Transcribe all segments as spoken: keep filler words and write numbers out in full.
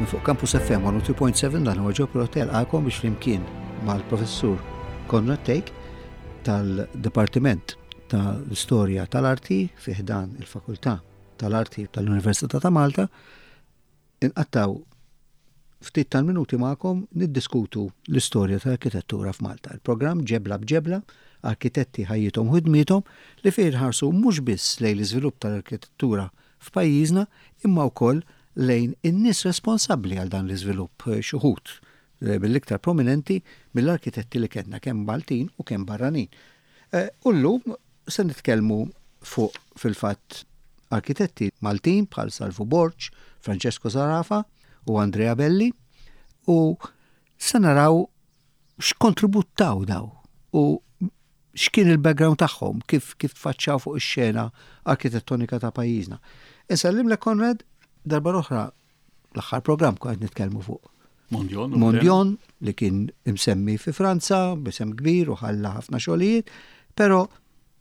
Minn fuq Campus F M one oh two point seven, dan huwa Joe Hotel għalkom biex flimkien mal-professur Conrad Thake tal-Dipartiment tal-Istorja tal-Arti fi ħdan il-Fakultà tal-Arti tal-Università ta' Malta inqattaw ftit tal-minuti magħkom niddiskutu l-istorja tal-arkitettura f'Malta. Il-programm Ġebla b'Ġebla, arkitetti, ħajjithom u ħidmiethom, li fih nħarsu mhux biss lejn l-iżvilupp tal-arkitettura f'pajjiżna imma wkoll lejn in-nies responsabbli għal dan l-iżvilupp, xi wħud eh, mill-iktar prominenti mill-arkitetti li kellna, kemm Maltin u kemm barranin. Eh, u llum se nitkellmu fuq, fil-fatt, arkitetti Maltin bħal Salvu Borg, Francesco Zerafa u Andrea Belli u se naraw x'kontribut taw daw u x'kien il-background tagħhom, kif kif tfaċċaw fuq ix-xena arkitettonika ta' pajjiżna. Insellimlek, Conrad, darba oħra. L-aħħar programm kont nitkellmu fuq Mondion. Mondion, li kien imsemmi fi Franza, b'isem kbir u ħalla ħafna xogħlijiet, però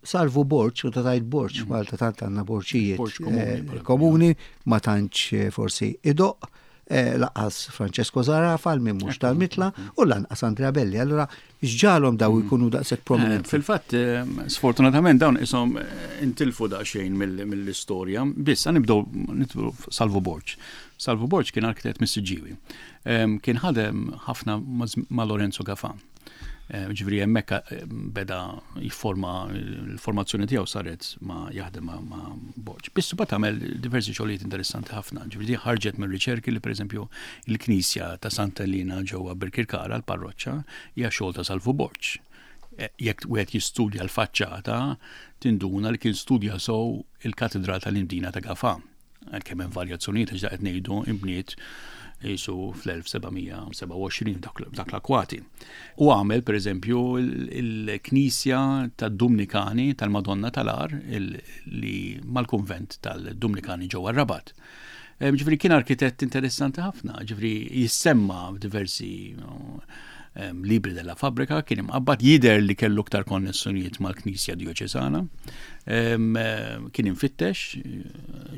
Salvu Borg, u ta' tajt Borg, mm. Malta tant għandna borċijiet Borg komuni, eh, per komuni, ma tantx eh, forsi idoq, eh, lanqas Francesco Zerafa, min mhux tal-Mitla, u lanqas Andrea Belli. Allora, x'ġagħalhom daw jkunu daqshekk Eh, prominenti? Fil-fatt, eh, sfortunatament dawn isom eh, intilfu daqsxejn mill- mill-istorja. Biss, nibdew nibdew Salvu Borg. Salvu Borg kien arkitett mis-Siġġiewi. Em, Kien ħadem ħafna ma' ma' Lorenzo Gafà. Eh, Ġifieri hemmhekk eh, beda jifforma, l-formazzjoni tiegħu saret ma jaħdem ma' ma' Borg. Biss mbagħad għamel diversi xogħlijiet interessanti ħafna. Ġifieri di ħarġet minn riċerki li, pereżempju, il-Knisja ta' Santa Elena ġewwa Birkirkara, l-parroċċa, hija xogħol ta' Salvu Borg. Eh, Jekk wieħed jistudja l-faċċata, tinduna li kien studja sew il-Katedral tal-Imdina ta' Gafà. Għalkemm hemm varjazzjonijiet, għax qed ngħidu imbniet jisu fl-elf seba' mija sebgħa u għoxrin dak dak l-akwati. U għamel, per eżempju, il-Knisja tad-Dumnikani tal-Madonna tal-Għar il- li mal-konvent tal-Dumnikani ġewwa Rabat. Ġifieri kien arkitett interessanti ħafna, ġifieri jissemma f'diversi em, libri della fabbrica, kien imqabbad, jider li kellu iktar konnessjonijiet mal-Knisja Dioċesana. Em, eh, Kien infittex, eh,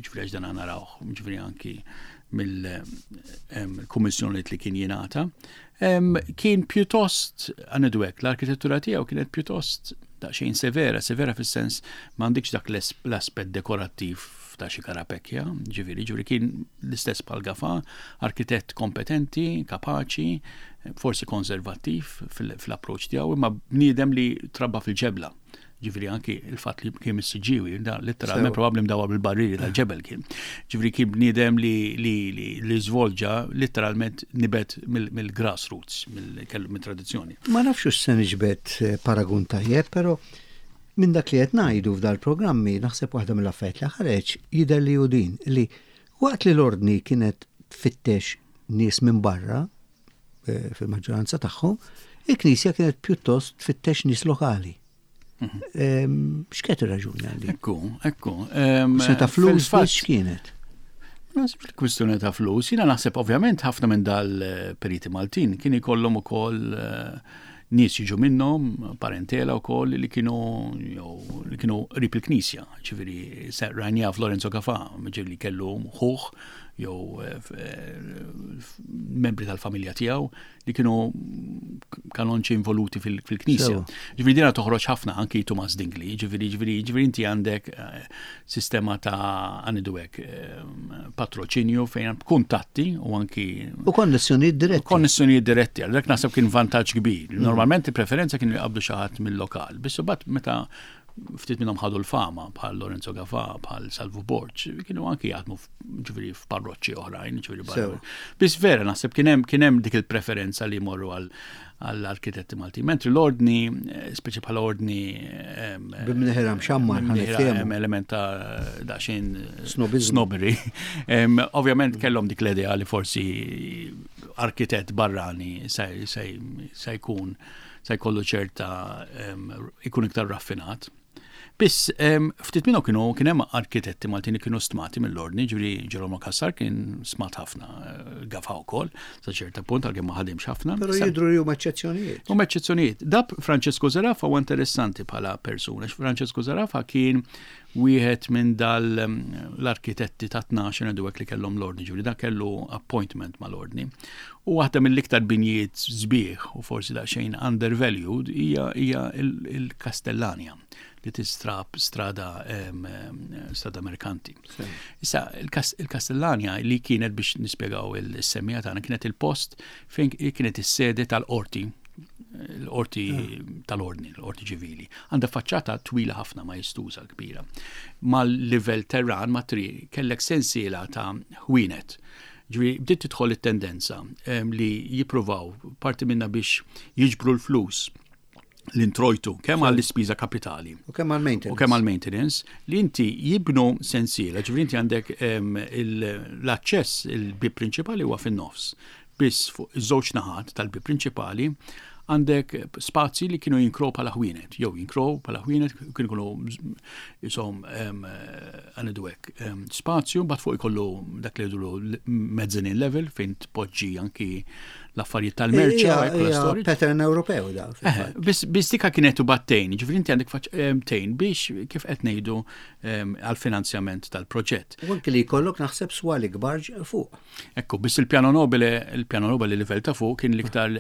ġifieri għax dan narawh, ġifieri anki mill-kummissjonijiet li kien jingħata. Em, Kien pjuttost, għanidwek, l-arkitettura tiegħu kienet pjuttost daqsxejn severa, severa fis-sens m'għandikx dak l-es- l-aspett dekorattiv ta' xi Carapecchia, ġifieri, ġifieri kien l-istess bħal Gafà, arkitett kompetenti, kapaċi, forsi konservattiv fil- fil-approċ tiegħu, imma bniedem li trabba fil-ġebla. Ġifieri anki il-fatt li kien mis-Siġġiewi, da letteralment Sew. probabbli mdawwar bil-barriri tal-ġebel kien. Ġifieri kien bniedem li li li, li żvolġa, letteralment nibet mill- mill-grassroots, mill- kellu mill-tradizzjoni. Ma nafx hux se niġbed eh, paragun tajjeb, però minn dak li qed ngħidu f'dal-programmi naħseb waħda mill-affarijiet li ħareġ jidher li hu din, li waqt li l-ordni kienet tfittex nies minn barra eh, fil-maġġoranza tagħhom, il-Knisja kienet pjuttost tfittex nies lokali. Em, X'kienet ir-raġuni għal din? Ekku, ekku. Em, Se ta' flus fil-fatt- biss x'kienet? Naħseb il-kwistjoni ta' flus, jiena naħseb ovvjament ħafna minn dal-periti Maltin kien ikollhom ukoll eh, nies jiġu minnhom, parentela wkoll li kienu jew li kienu qrib il-Knisja, ġifieri se rajnija f'Lorenzo Gafà, ġifieri kellu ħuh jew eh, f- eh, f- membri tal-familja tiegħu li kienu kanonċi involuti fil- fil-Knisja. Sewa. Ġifieri dina toħroġ ħafna anki Tumas Dingli, ġifieri ġifieri ġifieri inti għandek eh, sistema ta', għanidu hekk, eh, patroċinju fejn kuntatti u anki U konnessjonijiet diretti. Konnessjonijiet diretti, għal dak naħseb kien vantaġġ kbir. Normalment il-preferenza kienu jqabdu xi ħadd mill-lokal, biss imbagħad meta ftit minnhom ħadu l-fama bħal Lorenzo Gafà, bħal Salvu Borg, kienu anki jaħdmu f- ġifieri f'parroċċi oħrajn, ġifieri barra. Sew. Biss vera naħseb kien hemm kien hemm dik il-preferenza li jmorru għal għall-arkitetti Malti. Mentri l-ordni, eh, speċi bħala ordni em, B'imneħirha mxammar, ħa b'imneħirha niftehmu. hemm element ta' daqsxejn Snobizmu. snobbery. Em, Ovvjament kellhom dik l-idea li forsi arkitett barrani se se- se jkun se jkollu ċerta em, ikun iktar raffinat. Biss ftit minnhom kienu kien hemm arkitetti Maltin li kienu stmati mill-ordni, ġifieri Ġerolmo Cassar kien stmat ħafna, Gafa wkoll, sa ċerta punt għalkemm ma ħadimx ħafna. Però jidhru li huma eċċezzjonijiet. Huma eċċezzjonijiet. Dab Francesco Zerafa huwa interessanti bħala persuna. Francesco Zerafa kien wieħed minn dal l-arkitetti ta' tnax ngħidu hekk li kellhom l-ordni, ġifieri dak kellu appointment mal-ordni. U waħda mill-iktar binjiet sbieħ u forsi daqsxejn undervalued hija hija il-Castellania li tistrab strada strada Merkanti. Issa, il-Castellania li kienet, biex nispjegaw il-semmija tagħna, kienet il-post fejn kienet is-sede tal-qorti, l-qorti tal-ordni, l-qorti ċivili. Għandha faċċata twila ħafna, majestuża, kbira. Mal-livell terran ma' triq kellek sensiela ta' ħwienet. Ġifieri, bdiet tidħol it-tendenza li jippruvaw parti minna biex jiġbru l-flus, l-introjtu, kemm għall-ispiża kapitali. U kemm għall-maintenance. U kemm għall-maintenance, li inti jibnu sensiela, ġifieri inti għandek l-aċċess, il-bib prinċipali huwa fin-nofs. Biss fuq iż-żewġ naħat tal-bib prinċipali għandek spazji li kienu jinkrow bħala ħwienet, jew jinkrow bħala ħwienet, kienu kienu jisom għandu hekk spazju, bat fuq ikollu dak li jgħidulu mezzanine level fejn tpoġġi anki l-affarijiet tal-merċa. Pattern Ewropew da. Biss dika kienet u battejn, ġifieri inti għandek tejn biex, kif qed ngħidu, għal-finanzjament tal-proġett. U anki li jkollok naħseb swali kbar fuq. Ekku, biss il-piano nobile, il-piano nobile livell ta' fuq kien l-iktar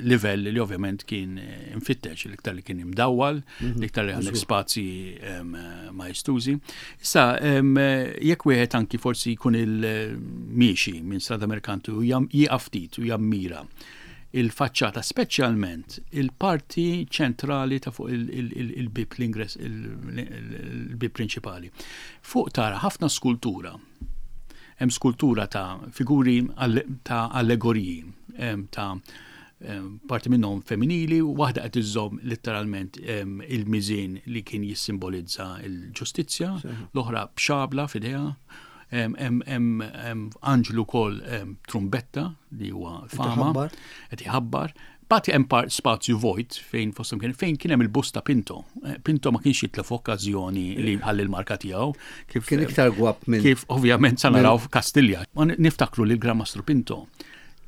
livell li ovvjament kien infittex, l-iktar li kien imdawwal, l-iktar li għandek spazji maestużi. Issa, jekk wieħed anki forsi jkun il-miexi minn Strada Merkanti u jieqaf ftit u jammira il-faċċata, speċjalment il-parti ċentrali ta' fuq il-bib, l-ingress, il-bib prinċipali. Fuq tara ħafna skultura. Hemm skultura ta' figuri ta' allegoriji, ta' parti minnhom femminili, waħda qed iżżomm letteralment il-miżien li kien jissimbolizza l-ġustizzja, l-oħra b'xabla f'idejha, hemm anġlu wkoll trumbetta li huwa fama, qed iħabbar. Bat hemm spazju vojt fejn fosthom kien fejn kien hemm il-bust ta' Pinto. Pinto ma kienx jitlef okkażjoni li ħalli l-marka tiegħu. Kif kien iktar gwab minn. Kif ovvjament sa naraw f'Kastilja. Niftakru li l-Gran Mastru Pinto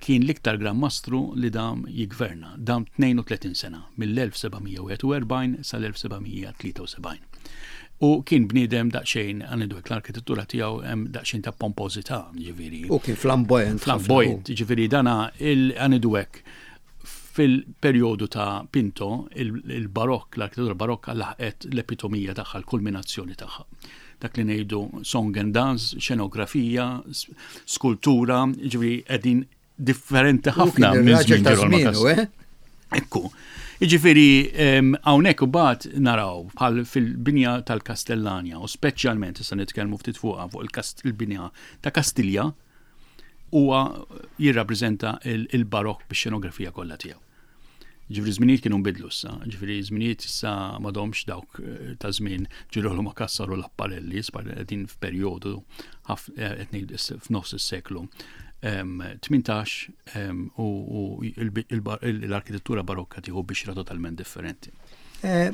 kien l-iktar Gran Mastru li dam jigverna. Dam tnejn u tletin sena, mill-elf seba' mija u wieħed u erbgħin sal-elf seba' mija tlieta u sebgħin. U kien bniedem daqsxejn, għandu l-arkitettura tiegħu hemm daqsxejn ta' pompożità, ġifieri. U kien flamboyant. Flamboyant, ġifieri dana għandu hekk fil-perjodu ta' Pinto, il-barokk, l-arkitettura barokka laħqet l-epitomija tagħha, l-kulminazzjoni tagħha. Dak li ngħidu song and dance, xenografija, skultura, ġifieri qegħdin differenti ħafna minn żmien Ġerolmo. Eh? Ekku. Jiġifieri hawnhekk u bat naraw bħal fil-binja tal-Castellania u speċjalment issa nitkellmu ftit fuqha, fuq il-binja ta' Kastilja, huwa jirrappreżenta il-barokk bix-xenografija kollha tiegħu. Ġifieri żminijiet kienu nbidlu issa, ġifieri żminijiet issa m'għadhomx dawk eh, ta' żmien Ġirolamo Cassar u Laparelli, qegħdin f'perjodu eh, qed f'nofs is-seklu tmintax u l-arkitettura barokka tieħu bixra totalment differenti. Eh,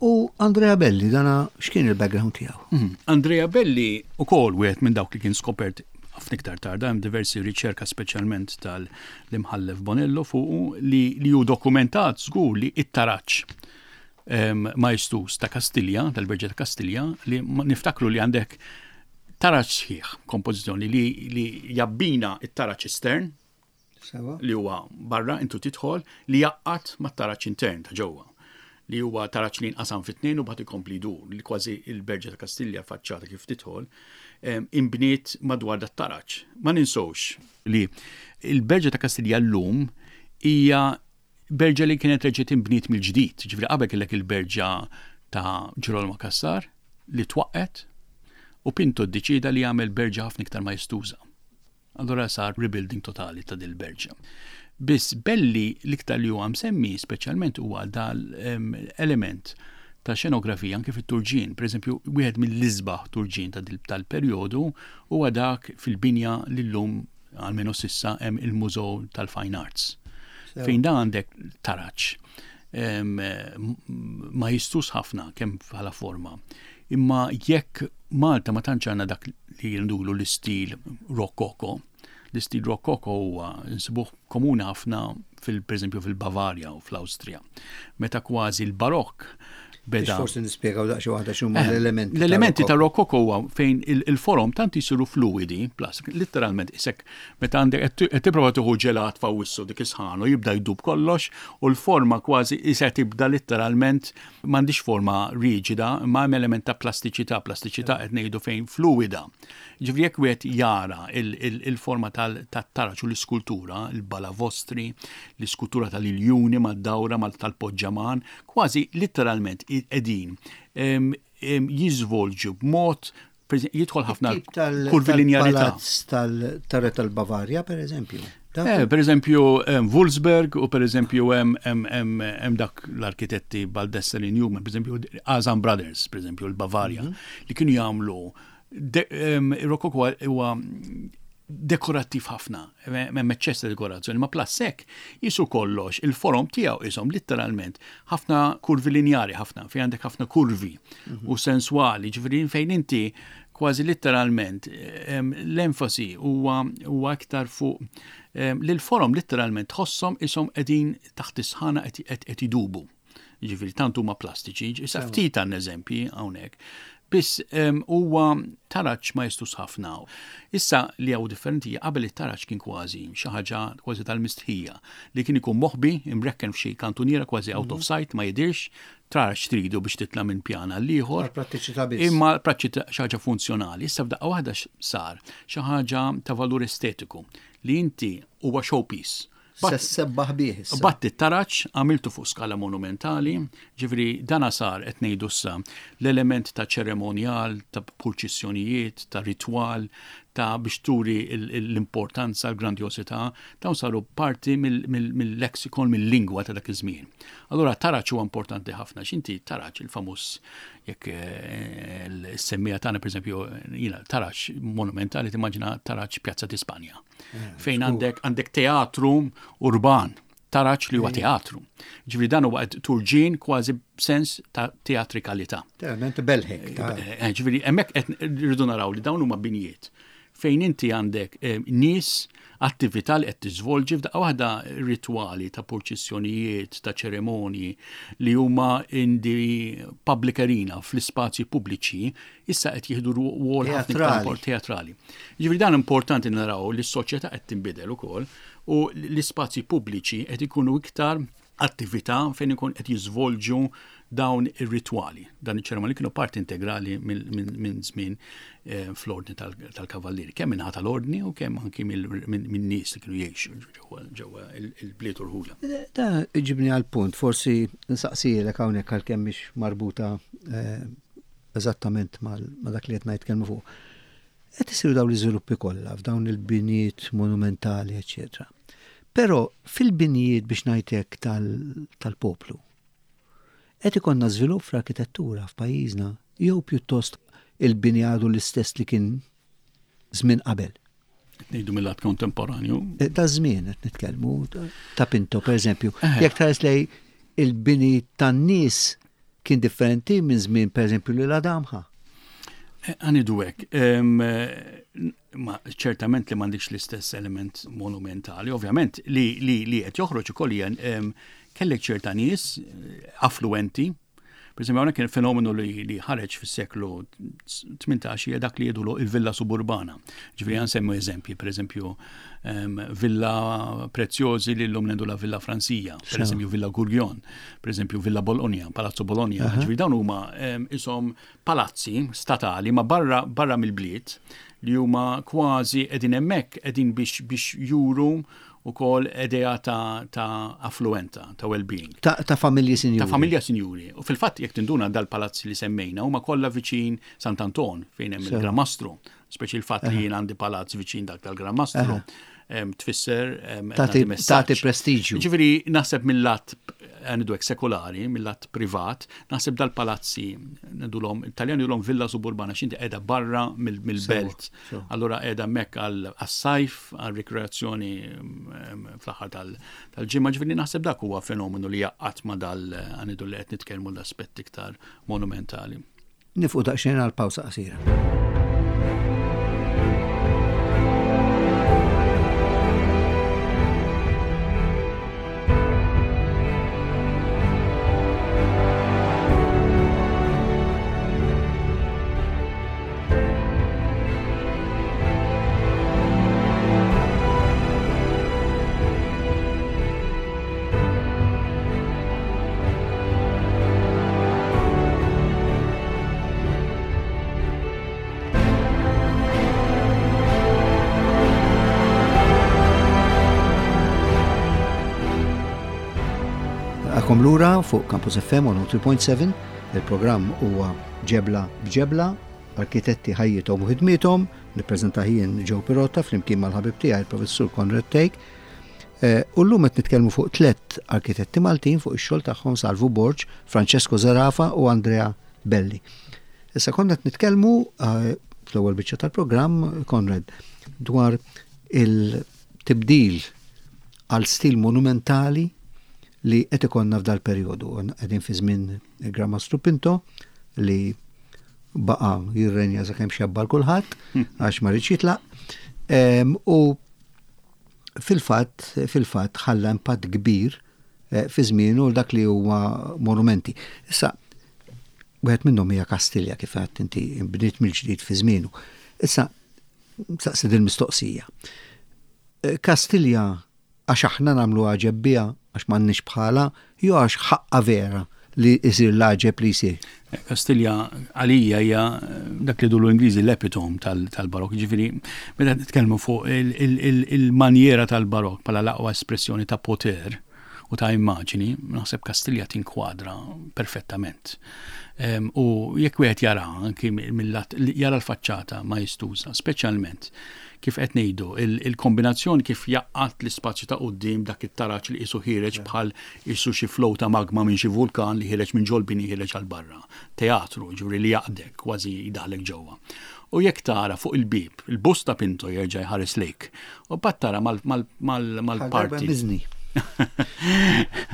u Andrea Belli, dana x'kien il-background tiegħu? Mhm. Andrea Belli ukoll wieħed minn dawk li kien skopert ħafna iktar tard, hemm diversi riċerka, speċjalment tal-imħallef Bonello fuq, li li hu dokumentat żgur li it-taraċ majestus ta' Kastilja, tal-Berġa ta' Kastilja, li niftakru li għandek taraċ sħiħ, kompożizzjoni li, li jabbina it-taraċ estern, li huwa barra intu tidħol, li jaqqat mat-taraċ intern ta' ġewwa, li huwa taraċ li nqasam fit-tnejn u bagħad ikompli jdur, li kważi il-Berġa ta' Kastilja, faċċata kif tidħol, imbniet madwar dat taraċ. Ma ninsowx li il-Berġa ta' Kastilja llum hija berġa li kienet reġgħet imbniet mill-ġdid. Ġifieri qabel kellek il-berġa ta' Ġirolmo Cassar li twaqqet u Pinto ddeċida li jagħmel berġa ħafna iktar majestuża. Allora sar rebuilding totali ta' dil-berġa. Biss Belli l-iktar li huwa msemmi speċjalment huwa dal-element ta' xenografija anke fit-turġien. Per eżempju, wieħed mill-isbaħ turġien tal-perjodu huwa dak fil-binja li llum, almenu s'issa, hemm il-Mużew tal-Fine Arts. Fejn da għandek taraċ Ma jistus ħafna kemm bħala forma. Imma jekk Malta ma tantx għandna dak li jindulu l-istil rokoko. L-istil rokoko huwa nsibuh komuni ħafna fil per eżempju fil-Bavarja u fl-Awstrija. Meta kważi l-barokk beda. Forsi nispjegaw daqsxejn waħda x'huma eh, l-elementi. L-elementi ta' rokoko huwa fejn il-forom tant jisiru fluidi, plastik, literalment isek meta għandek qed tipprova tieħu ġelat f'Awwissu, dik isħanu jibda jdub kollox u l-forma kważi isek tibda literalment m'għandix forma riġida, ma hemm element ta' plastiċità, plastiċità qed ngħidu fejn fluida. Ġifieri jekk wieħed jara il-forma tat-taraġ u l-iskultura, il-balavostri, l-iskultura tal-iljuni mad-dawra tal-poġġaman, kważi literalment qegħdin jiżvolġu b'mod jidħol ħafna kurvilinjarità. Tal-Re tal-Bavarja, per eżempju. Eh, per eżempju, Wulfsberg u per eżempju hemm dak l-arkitetti Baldessari, Newman, per eżempju Azam Brothers, per eżempju l-Bavarja, mhm. li kienu jagħmlu rokoko huwa dekorattiv ħafna, hemm eċċess ta' dekorazzjoni, ma plus hekk jisu kollox, il-forom tiegħu isom literalment ħafna kurvi linjari ħafna, fejn għandek ħafna kurvi mhm. u sensuali, ġifieri fejn inti kważi literalment l-enfasi huwa huwa aktar fuq li l-forom literalment tħossom isom qegħdin taħt is-sħana qed idubu. Ġifieri tant huma plastiċi, issa ftit għan eżempji hawnhekk. Biss huwa taraġ ma jistus ħafna. Issa li hawn differenti, qabel it-taraġ kien kważi xi ħaġa kważi tal-mistħija li kien ikun moħbi imrekken f'xi kantuniera kważi out of mhm. sight, ma jidirx, taraġ tridu biex titla' minn pjana l-ieħor. Prattiċità biss. Imma prattiċità, xi ħaġa funzjonali. Issa f'daqqa waħda sar xi ħaġa ta' valur estetiku li inti huwa showpiece. Se sebbaħ bih. Batti taraċ, għamiltu fuq skala monumentali, ġifieri dana sar qed ngħidu issa l-element ta' ċeremonjal, ta' purċissjonijiet, ta' ritwal, ta' biex turi l-importanza, l-grandjosità, dawn saru parti mill-lexikon, mill-lingwa ta' dak iż-żmien. Allura taraċ huwa importanti ħafna, x'inti taraċ il-famuż jekk eh, l-semmija tagħna, pereżempju, jiena taraċ monumentali timmaġina taraċ Pjazza di Spanja. Eh, fejn għandek għandek teatru urban, taraċ li huwa teatru. Ġifieri dan huwa turġin kważi b'sens ta' teatrikalità. Verament belħek. Eh, ġifieri hemmhekk qed rridu naraw li dawn huma binjiet fejn inti għandek eh, nies, attività li qed tiżvolġi f'daqqa waħda, ritwali ta' purċissjonijiet, ta' ċeremonji li huma in the public arena, fl-ispazji pubbliċi, issa qed jieħdu rwol ħafna iktar teatrali. Ġifieri dan importanti naraw li s-soċjetà qed tinbidel ukoll u l-ispazji pubbliċi qed ikunu iktar attività fejn ikun qed jiżvolġu dawn ir-ritwali. Dan iċ-ċeremonji kienu parti integrali minn żmien eh, fl-ordni tal-kavallieri, kemm minn tal-ordni u kemm anki minn nies li kienu jgħixu ġewwa il-bliet u rħula. Da ġibni għal punt, forsi nsaqsilek hawnhekk għalkemm mhix marbuta eh, eżattament ma' dak li qed ngħid fuq. Qed isiru dawn l-iżviluppi kollha f'dawn il-binijiet monumentali, eċċetera. Però fil-binijiet, biex ngħidlek, tal-poplu, qed ikollna żvilupp fl-arkitettura f'pajjiżna jew pjuttost il-bini għadu l-istess li kien żmien qabel? Ngħidu mill-lat kontemporanju. Eh, da żmien qed nitkellmu ta' Pinto, per eżempju. Eh. Jekk tħares lej il-bini tan-nies kien differenti minn żmien, per eżempju, li l-Adamħa. Eh, għanidu hekk, ma ċertament li m'għandikx l-istess element monumentali, ovvjament li li li qed joħroġ ukoll hija kellek ċerta nies affluenti. Per esempio, hawnhekk kien fenomenu li, li ħareġ fis-seklu tmintax, hija dak li jgħidulu il-villa suburbana. Ġifieri għan semmu eżempji, per eżempju, Villa Preziosi li llum ngħidu la Villa Franzija, per eżempju Villa Gurgion, per eżempju Villa Bologna, Palazzo Bologna. Ġifieri dawn huma isom palazzi statali ma barra barra mill-bliet li huma kważi qegħdin hemmhekk qegħdin biex biex juru ukoll idea ta', ta affluenza, ta' well-being. Ta', ta familji sinjuri. Ta' familja sinjuri. U fil-fatt jekk tinduna dal-palazzi li semmejna huma kollha viċin Sant'Anton fejn hemm il-Gran Mastru. Speċi il-fatt li jien għandi palazz viċin dak tal-Gran Mastru tfisser tagħti prestiġju. Ġifieri naħseb mill-lat għandu sekolari, mill-lat privat, naħseb dal-palazzi, ngħidulhom, Italjan jgħidulhom villa suburbana, x'inti qiegħda barra mill-belt. Allura qiegħda hemmhekk għas-sajf, għal-rikreazzjoni fl-aħħar tal-ġimgħa, ġifieri naħseb dak huwa fenomenu li jaqgħad ma dal għandu li qed nitkellmu l-aspett iktar monumentali. Nieqfu daqsxejn għal pawsa qasira. Lura fuq Campus F M one oh three point seven, il-programm huwa Ġebla b'Ġebla, arkitetti ħajjithom u ħidmiethom, nippreżenta jien Joe Pirotta flimkien mal-ħabib tiegħi il-Professur Conrad Thake. U llum qed nitkellmu fuq tliet arkitetti Maltin fuq ix-xogħol tagħhom Salvu Borg, Francesco Zerafa u Andrea Belli. Issa konna qed nitkellmu fl-ewwel biċċa tal-programm, Conrad, dwar il-tibdil għal stil monumentali li qed ikollna f'dal perjodu. Qegħdin fi żmien il-Gran Mastru Pinto li baqa' jirrenja sakemm xebba kulħadd għax ma riedx jitlaq. U fil-fatt fil-fatt ħalla impatt kbir fi żmienu dak li huwa monumenti. Issa wieħed minnhom hija Kastilja kif għedt inti bniet mill-ġdid fi żmienu. Issa saqsi din mistoqsija. Kastilja għax aħna nagħmlu għaġeb biha għax m'għandniex bħala, jew għax ħaqqa vera li jsir l-għaġeb li jsir? Kastilja għalija hija dak li dulu Ingliżi l-epitom tal-barok, ġifieri meta nitkellmu fuq il-manjera tal-barok bħala l-aqwa espressjoni ta' poter u ta' immaġini, naħseb Kastilja tinkwadra perfettament. U jekk wieħed jara anki mill-lat jara l-faċċata maestuża, speċjalment kif qed ngħidu, il-kombinazzjoni kif jaqqat l-ispazju ta' quddiem dak it-taraġ li qisu ħiereġ bħal qisu xi flow ta' magma minn xi vulkan li ħiereġ minn ġol-bini ħiereġ għal barra. Teatru, ġifieri li jaqdek kważi jdaħlek ġewwa. U jekk tara fuq il-bib, il-bust ta' Pinto jerġa' jħares lejk. U mbagħad tara mal-parti.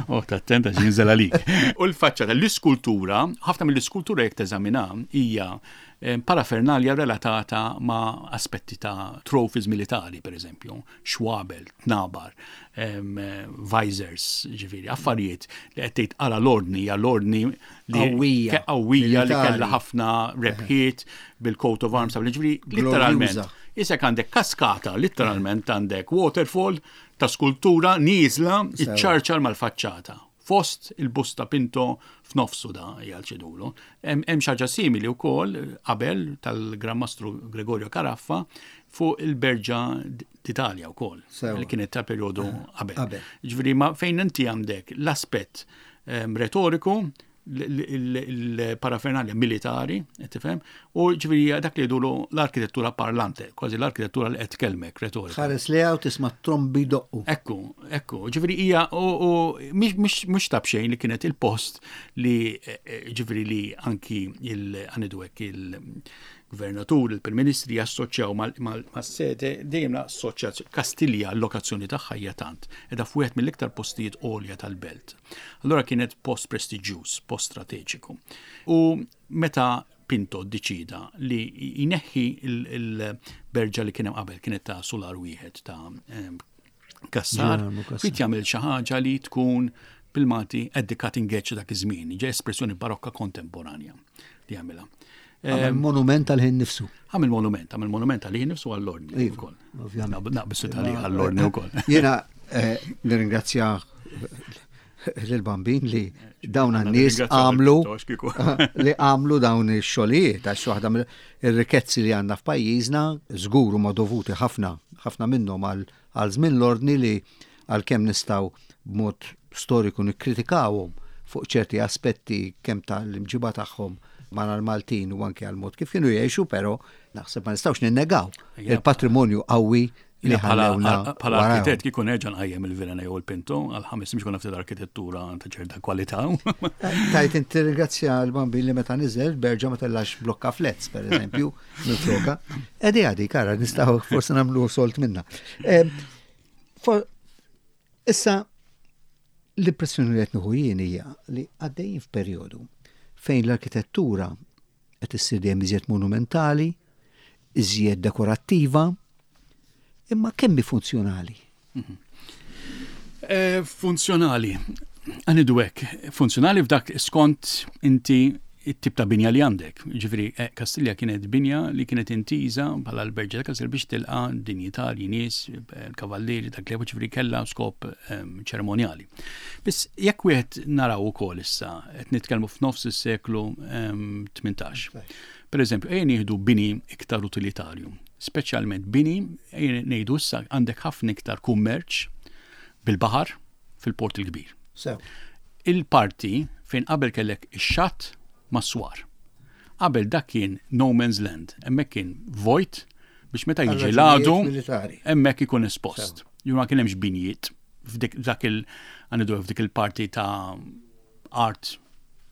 Oh, attenta x'inżel għalik. U l-faċċata l-iskultura, ħafna mill-iskultura jekk teżamina hija parafernalja relatata ma' aspetti ta' trophies militari, per eżempju, xwabel, tnabar, visors, ġifieri, affarijiet li qed tgħid ara l-ordni, hija l-ordni li qawwija li kellha ħafna rebħiet bil-coat of arms, ġifieri literalment. Isek għandek kaskata, literalment għandek waterfall ta' skultura nieżla iċċarċar mal-faċċata. Fost il-busta Pinto f'nofsu da jgħal ċedulu. Hemm xi ħaġa simili wkoll qabel tal-Gran Mastru Gregorio Caraffa fuq il-Berġa d'Italja wkoll, li kienet ta' perjodu qabel. Ġifieri ma fejn inti għandek l-aspett retoriku, il-parafernalja militari, tifhem, u ġifieri dak li jdulu l-arkitettura parlante, kważi l-arkitettura li qed tkellmek retorika. Ħares li hawn tisma' trombi doqqu. Ekku, ekku, ġifieri hija u mhux ta' b'xejn li kienet il-post li ġifieri li anki il għanidu hekk il-gvernatur, il-Prim Ministri jassoċjaw mas-sede dejjem l-assoċjazzjoni Kastilja l-lokazzjoni tagħha hija tant, qiegħda f'wieħed mill-iktar postijiet għolja tal-belt. Allura kienet post prestiġjuż, post strateġiku. U meta Pinto ddeċida li jneħħi il-berġa li kien hemm qabel, kienet ta' solar wieħed ta' Kassar, fit jagħmel xi ħaġa li tkun bil-Malti at the cutting edge dak iż-żmien, ġej espressjoni barokka kontemporanja li jagħmilha. Għamel monument għal-ħin nifsu. Għamel monument, għamel monument għal-ħin nifsu għall-ordni wkoll. Naqbisu tal għall-ordni wkoll. Jiena nirringrazzja lill-Bambin li dawn għan-nies għamlu li għamlu dawn ix-xogħlijiet għax waħda ir-rikkezzi li għandna f'pajjiżna żgur huma dovuti ħafna ħafna minnhom għal żmien l-ordni li għalkemm nistgħu b'mod storiku nikkritikawhom fuq ċerti aspetti kemm tal-imġiba tagħhom ma' l-Maltin u anke għal mod kif kienu jgħixu, però naħseb ma nistgħux ninnegaw il-patrimonju qawwi Li Bħala ħallewna bħala warahom. arkitett kieku nerġa' nqajjem il-Vilhena jew il-Pinto għal ħames mhux konna ftit arkitettura ta' ċerta kwalità. Tajt inti ringrazzja l-Bambin li meta niżel berġa ma tellax blokka flets, per eżempju, minn floka. Edi għadi, kara, nistgħu forse nagħmlu solt minna. Em, for- Issa, l-impressjoni li qed nieħu jien hija li għaddejjin f'perjodu fejn l-arkitettura qed issir dejjem iżjed monumentali, iżjed dekorattiva, imma kemm hi funzjonali? Eh, Funzjonali. Għanidu hekk, funzjonali f'dak skont inti it-tip ta' binja li għandek. Ġifieri, eh, Kastilja kienet binja li kienet intiża bħala l-Berġa ta' Kastilja biex tilqa dinjitarji, nies, eh, kavallieri, dak li ġifieri kellha skop ehm, ċeremonjali. Biss jekk wieħed naraw ukoll issa qed nitkellmu f'nofs is-seklu ehm, tmintax. Per eżempju, ejja nieħdu bini iktar utilitarju, speċjalment bini, ejja ngħidu issa għandek ħafna iktar kummerċ bil-baħar fil-Port il-Kbir. Sew. Il-parti fejn qabel kellek ix-xatt mas-swar. Qabel dak kien no man's land, hemmhekk kien vojt biex meta Għal jiġi raġunijiet l-għadu militari. hemmhekk ikun espost. Ju ma kien hemmx binjiet f'dik dak il għandu f'dik il-parti ta' art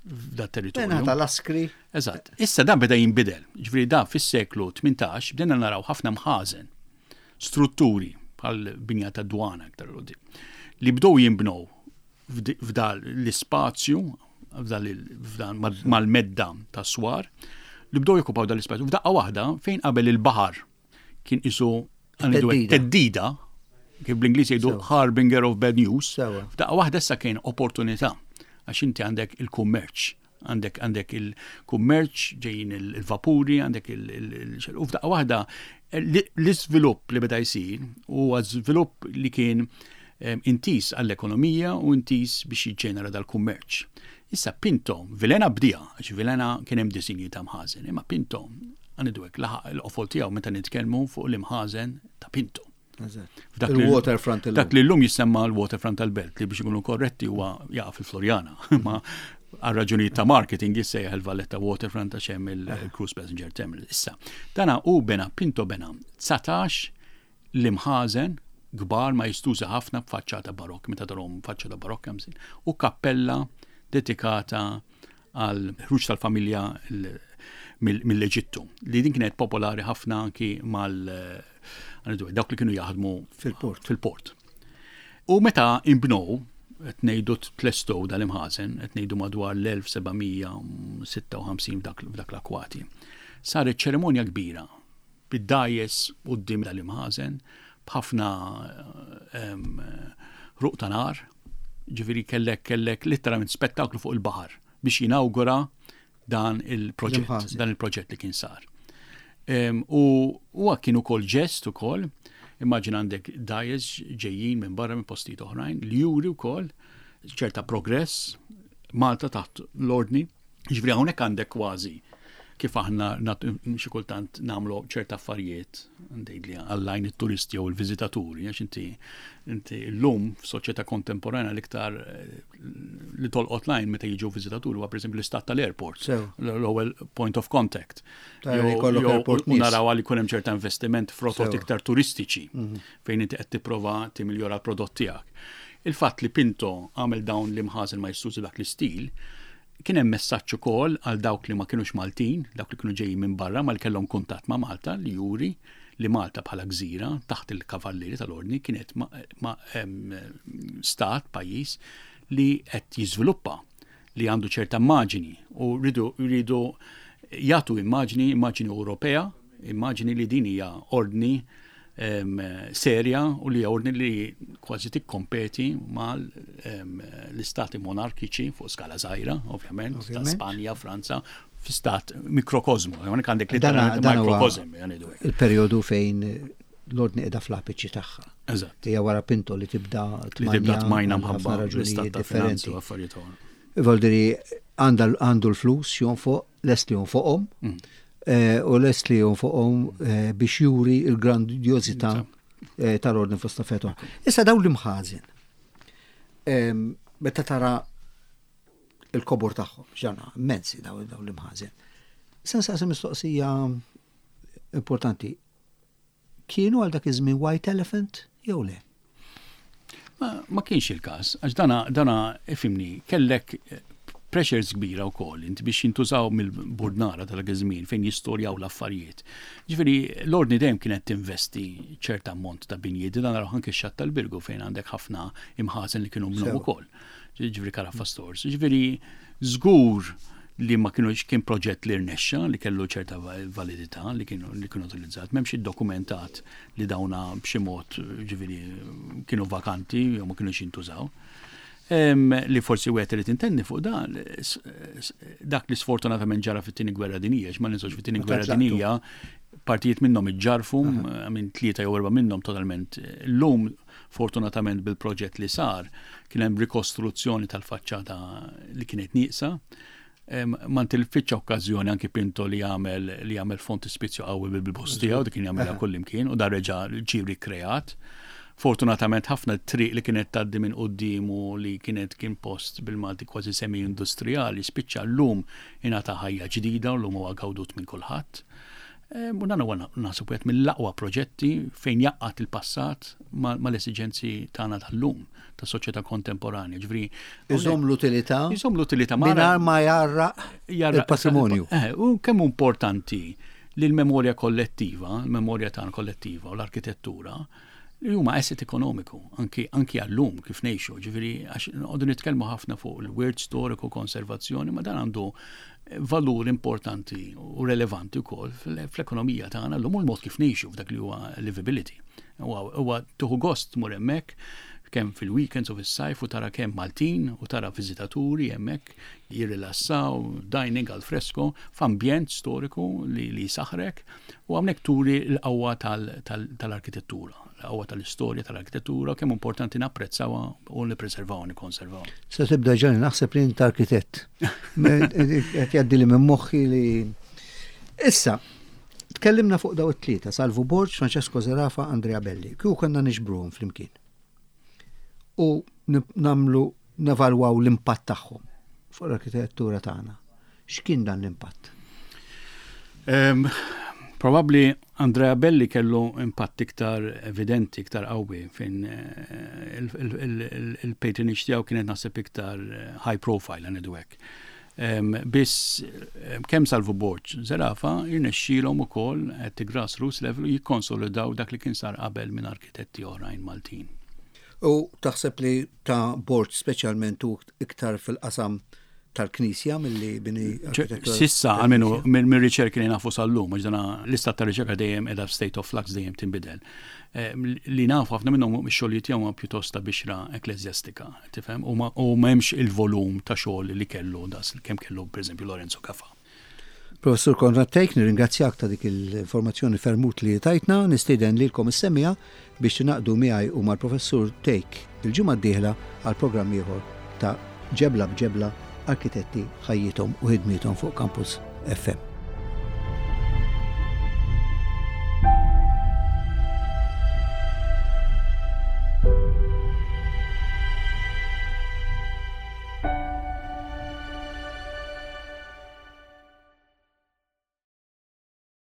f'dat territorju. Mena tal-askri. Eżatt. Issa dan beda jinbidel. Ġifieri da fis-seklu tmintax bdejna naraw ħafna mħażen, strutturi bħal binja ta' dwana aktar 'l quddiem, li bdew jinbnew f'di- f'dal l-ispazju f'dal il- f'dan mal- mal-medda ta' swar li bdew jokkupaw dal l-ispazju. F'daqqa waħda fejn qabel il-baħar kien isu għandu Teddida. teddida, kif bl-Ingliż jgħidu Sewa. harbinger of bad news. Sewa. F'daqqa waħda issa kien opportunità għax inti għandek il-kummerċ, għandek għandek il-kummerċ ġejjin il- il-vapuri, għandek il- il- il- u f'daqqa waħda l- l-iżvilupp li beda jsir huwa żvilupp li kien em, intis għall-ekonomija u intis biex jiġġenera dal-kummerċ. Issa Pinto, Vilhena bdieha, għax Vilhena kien hemm disinji ta' mħażen, imma Pinto għandu hekk laħaq il-qofol tiegħu meta nitkellmu fuq l-imħażen ta' Pinto. F'dak li- Il-waterfront illum. Dak li llum jissemma l-waterfront tal-Belt li biex ikunu korretti huwa jaqa' fil-Floriana. Ma għal raġunijiet ta' marketing jissejjaħ il-Valletta Waterfront għax hemm il-Cruise Passenger Terminal. Issa, dana u bena Pinto bena dsatax l-imħażen kbar ma jistuża ħafna b'faċċata barokk, meta tarhom faċċata barokk hemm u kappella dedikata għal ħruġ tal-familja l- mill- mill-Eġittu, li din kienet popolari ħafna anki mal għanidu, dawk li kienu jaħdmu Fil-port. Fil-port. U meta imbnow, qed ngħidu tlestow dal-imħażen, qed ngħidu madwar l-elf seba' mija sitta u ħamsin f'dak f'dak l-akwati. Saret ċerimonja kbira bid-dgħajjes quddiem dal-imħażen b'ħafna em, ruq ta' nar, ġifieri kellek kellek literalment spettaklu fuq il-baħar biex jinawgura dan il-proġett, L-imħażen. dan il-proġett li kien sar. Em, U huwa kien ukoll ġest ukoll, immaġina għandek dgħajjes ġejjin minn barra minn postijiet oħrajn li juri wkoll ċerta progress Malta taħt l-ordni. Ġifieri hawnhekk għandek kważi kif aħna nat- xi kultant nagħmlu ċerta affarijiet ngħid li għall-għajn it-turisti jew il-viżitaturi, għax inti inti llum f'soċjetà kontemporana l-iktar eh, li tolqot l-għajn meta jiġu viżitaturi huwa pereżempju l-istat tal-airport, Sew. l-ewwel point of contact. Tara li Jew- jkollok jew- airport u nies. naraw għal jkun hemm ċerta investiment f'rotot Sew. iktar turistiċi fejn inti qed tipprova timiljora l-prodott tiegħek. Il-fatt li Pinto għamel dawn l-imħażen ma jistużi dak l-istil, kien hemm messaġġ ukoll għal dawk li ma kienux Maltin, dawk li kienu ġejjin minn barra ma li kellhom kuntatt ma' Malta li juri li Malta bħala gżira taħt il-kavallieri tal-ordni kienet ma, ma, em, stat, pajjiż li qed jiżviluppa, li għandu ċerta immaġini u rridu rridu jagħtu immaġini, immaġini Ewropea, immaġini li din hija ordni em, serja u li hija ordni li kważi tikkompeti mal em, l-istati monarkiċi fuq skala żgħira, ovvjament, ta' Ovvjament. Spanja, Franza, fi stat mikrokosmu, hawnhekk għandek Dana- literalment dan huwa mikrokosm, jgħidu hekk. Il-perjodu fejn l-ordni qiegħda fl-apiċi tagħha. Eżatt. Hija wara Pinto li tibda Li tibda tmajna għal mħabba ħafna l-istat raġunijiet ta' finanzi differenti. u affarijiet oħra. Voldiri għanda- għandu l-flus jonfoq, lest li jonfoqhom, Mm. eh, u lest li jonfoqhom eh, biex juri il-grandjozità eh, tal-ordni fost affarijiet oħra. Issa dawn l-imħażen. Em, Meta tara il-kobor tagħhom, ġana, immensi dawn dawn l-imħażen. Se nsaqsi mistoqsija importanti. Kienu għal dak iż-żmien white elephant jew le? Ma, ma kienx il-każ, għax dana, dana ifhimni, kellek eh, pressures kbira wkoll inti biex jintużaw mill-burdnara tal żmien fejn jistorjaw l-affarijiet. Ġifieri l-ordni dejjem kienet tinvesti ċerta ammont ta' binjiet, dan naraw anke x-xatt tal-Birgu fejn għandek ħafna imħażen li kienu minnhom ukoll. Ġifieri Carafa Stores. Ġifieri żgur li ma kienu kien proġett li rnexxa li kellu ċerta validità li kienu li kienu utilizzat, m'hemmx iddokumentat li dawna b'xi mod, ġifieri, kienu vakanti jew ma kienux jintużaw. Li forsi wieħed irid intendi fuq dan, dak li sfortunatament ġara fit-Tieni Gwerra Dinjija, ma ninsewx fit-Tieni Gwerra Dinjija partijiet minnhom iġġarfu, minn tlieta jew erba' minnhom totalment. Llum, fortunatament, bil-proġett li sar kien hemm rikostruzzjoni tal-faċċata li kienet nieqsa. Ma ntilfitx okkażjoni anki Pinto li jagħmel li jagħmel frontispizju qawwi bil-boss tiegħu, dik kien jagħmilha kullimkien u dar reġa' ġie rikreat. Fortunatament ħafna triq li kienet tgħaddi minn quddiemu, li kienet kien post bil-Malti kważi semi-industrijali, spiċċa llum ingħata ħajja ġdida u llum huwa gawdut minn kulħadd. U dan huwa naħseb wieħed mill-aqwa proġetti fejn jgħaqqad il-passat mal-esiġenzi tagħna tal-lum, ta' soċjetà kontemporanja. Ġifieri Iżomm l-utilità. Iżomm l-utilità. Mingħajr ma jgħarraq il-patrimonju. Eh, u kemm importanti li l-memorja kollettiva, l-memorja tagħna kollettiva u l-arkitettura li huma asset ekonomiku anki anki għallum kif ngħixu, ġifieri għax noqogħdu nitkellmu ħafna fuq il-wirt storiku, konservazzjoni, ma dan għandu valur importanti u relevanti wkoll fl-ekonomija tagħna llum u l-mod kif ngħixu f'dak li huwa livability. Huwa tieħu gost tmur hemmhekk kemm fil-weekends u fis-sajf u tara kemm Maltin u tara viżitaturi hemmhekk jirrilassaw, dining al fresco, f'ambjent storiku li, li saħrek, u hawnhekk turi l-qawwa tal-arkitettura, l-qawwa tal-istorja tal-arkitettura, kemm importanti napprezzawha u nippreservawha, nikkonservawha. Se tibda ġani naħseb li int arkitett. Qed jgħaddi li minn moħħi li Issa, tkellimna fuq daw it-tlieta, Salvu Borg, Francesco Zerafa, Andrea Belli. Kieku konna niġbruhom flimkien u nagħmlu nevalwaw l-impatt tagħhom fuq l-arkitettura tagħna. X'kien dan l-impatt? Um, Probabli Andrea Belli kellu impatt iktar evidenti, iktar qawwi, fejn eh, il-patronage tiegħu kienet naħseb iktar eh, high profile, ngħidu hekk. Biss kemm Salvu Borg, Zerafa jirnexxielhom ukoll at the grassroots level jikkonsolidaw dak li kien sar qabel minn arkitetti oħrajn Maltin. U taħseb li ta' Borg speċjalment u iktar fil-qasam tal-Knisja mill-li bini? S'issa, għalmenu, minn riċerki li nafu sal-lum, għax dana l-istat ta' riċerka dejjem edha state of flux, dejjem tinbidel. Eh, li nafu, ħafna minnhom ix-xogħlijiet tiegħu pjuttost ta' bixra ekklesjastika, tifhem? U m'hemmx il-volum ta' xogħol li kellu das kemm kellu, pereżempju, Lorenzo Gafa. Professur Konrad Thake, nirringrazzjak ta' dik l-informazzjoni ferm utli li tajtna, nistieden lilkom is-semmiegħa biex tingħaqdu miegħi u mal-Professur Thake il-ġimgħa d-dieħla għal programm ieħor ta' Ġebla b'Ġebla, arkitetti, ħajjithom u ħidmiethom fuq Campus F M.